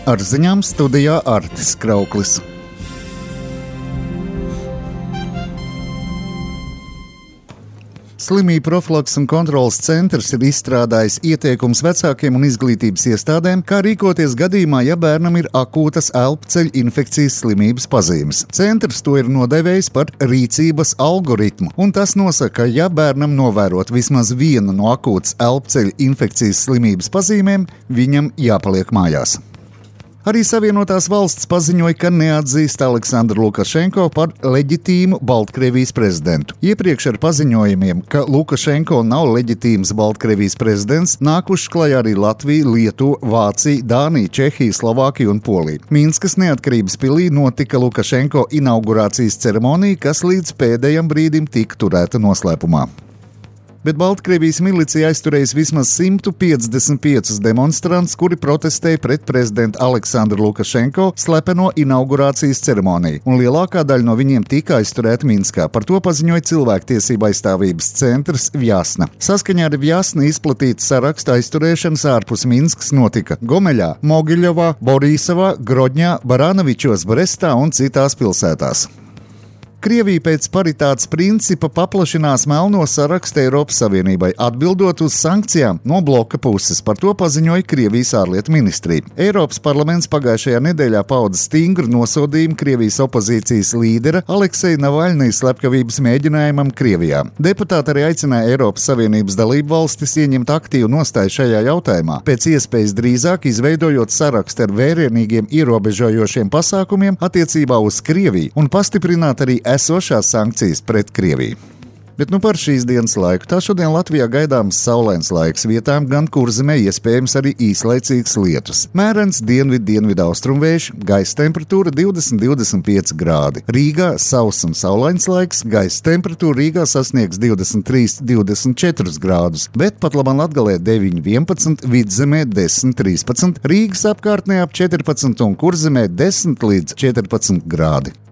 Ar ziņām studijā Artis Krauklis. Slimību profilakses un kontroles centrs ir izstrādājis ieteikumus vecākiem un izglītības iestādēm, kā rīkoties gadījumā, ja bērnam ir akūtas elpceļu infekcijas slimības pazīmes. Centrs to ir nodēvējis par rīcības algoritmu, un tas nosaka, ka, ja bērnam novērot vismaz vienu no akūtas elpceļu infekcijas slimības pazīmēm, viņam jāpaliek mājās. Arī Savienotās valsts paziņoja, ka neatzīst Aleksandru Lukašenko par leģitīmu Baltkrievijas prezidentu. Iepriekš ar paziņojumiem, ka Lukašenko nav leģitīms Baltkrievijas prezidents, nākuši klajā arī Latvija, Lietuva, Vācija, Dānija, Čehija, Slovākija un Polija. Minskas neatkarības pilī notika Lukašenko inaugurācijas ceremonija, kas līdz pēdējam brīdim tika turēta noslēpumā. Bet Baltkrievijas milicija aizturējas vismaz 155 demonstrantus, kuri protestēja pret prezidentu Aleksandru Lukašenko slepeno inaugurācijas ceremoniju, un lielākā daļa no viņiem tika aizturēta Minskā. Par to paziņoja cilvēktiesība aizstāvības centrs Vjasna. Saskaņā ar Vjasna izplatīta saraksta aizturēšanas ārpus Minskas notika Gomeļā, Mogiļovā, Borisovā, Grodņā, Baranovičos, Brestā un citās pilsētās. Krievija pēc paritātes principa paplašinās melno sarakstu Eiropas Savienībai, atbildot uz sankcijām no bloka puses. Par to paziņoja Krievijas ārlietu ministrija. Eiropas parlaments pagājušajā nedēļā pauda stingru nosodījumu Krievijas opozīcijas līdera Alekseja Navaļnija slepkavības mēģinājumam Krievijā. Deputāti arī aicināja Eiropas Savienības dalību valstis ieņemt aktīvu nostāju šajā jautājumā, pēc iespējas drīzāk izveidojot sarakstu ar vērienīgiem ierobežojošiem pasākumiem attiecībā uz Krieviju un pastiprināt arī esošās sankcijas pret Krieviju. Bet par šīs dienas laiku. Tā šodien Latvijā gaidāms saulains laiks, vietām gan Kurzemē iespējams arī īslaicīgs lietus. Mērens dienvidu-austrumvējš, gaisa temperatūra 20–25 grādi. Rīgā sauss un saulains laiks, gaisa temperatūra Rīgā sasniegs 23–24 grādus, bet pat labāk Latgalē 9–11, Vidzemē 10–13, Rīgas apkārtnē ap 14 un Kurzemē 10–14 grādi.